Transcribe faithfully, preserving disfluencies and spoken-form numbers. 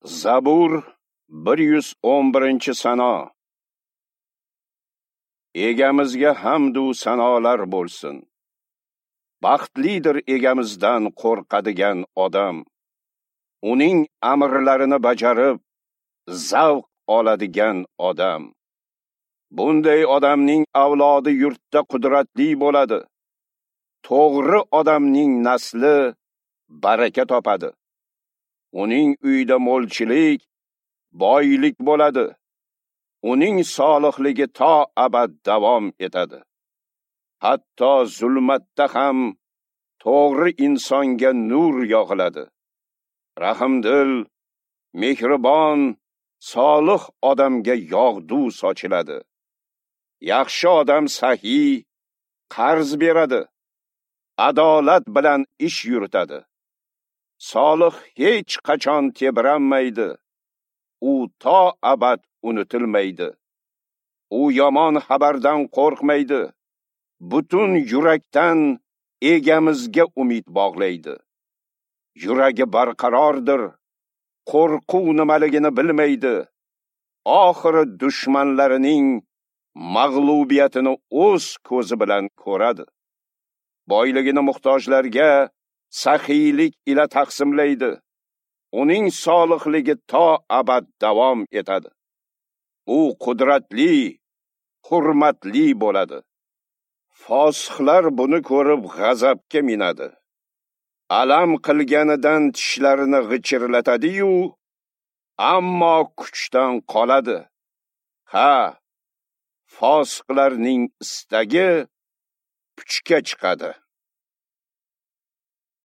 Zabur bir yuz o'n birinchi sano. Egamizga hamd u sanolar bo'lsin. Baxtlidir egamizdan qo'rqadigan odam. Uning amrlarini bajarib, zavq oladigan odam. Bunday odamning avlodi yurtda qudratli bo'ladi. To'g'ri odamning nasli baraka topadi. Uning uyida mo'lchilik, boylik bo'ladi. Uning solihligi to abad davom etadi. Hatto zulmatda ham to'g'ri insonga nur yog'iladi. Rahimdil, mehribon, solih odamga yog'du sochiladi. Yaxshi odam sahiy, qarz beradi, adolat bilan ish yuritadi. Solih hech qachon tebranmaydi. U to abad unutilmaydi. U yomon xabardan qo'rqmaydi. Butun yurakdan egamizga umid bog'laydi. Yuragi barqarordir, qo'rquv nimaligini bilmaydi. Oxiri dushmanlarining mag'lubiyatini o'z ko'zi bilan ko'radi. Boyligini muhtojlarga saxiylik ila taqsimlaydi. Uning solihligi to abad davom etadi. U qudratli, hurmatli bo'ladi. Fosihlar buni ko'rib g'azabga minadi. Alam qilganidan tishlarini g'ichirlatadi-yu, ammo kuchdan qoladi. Ha, fosiqlarning istagi puchga chiqadi.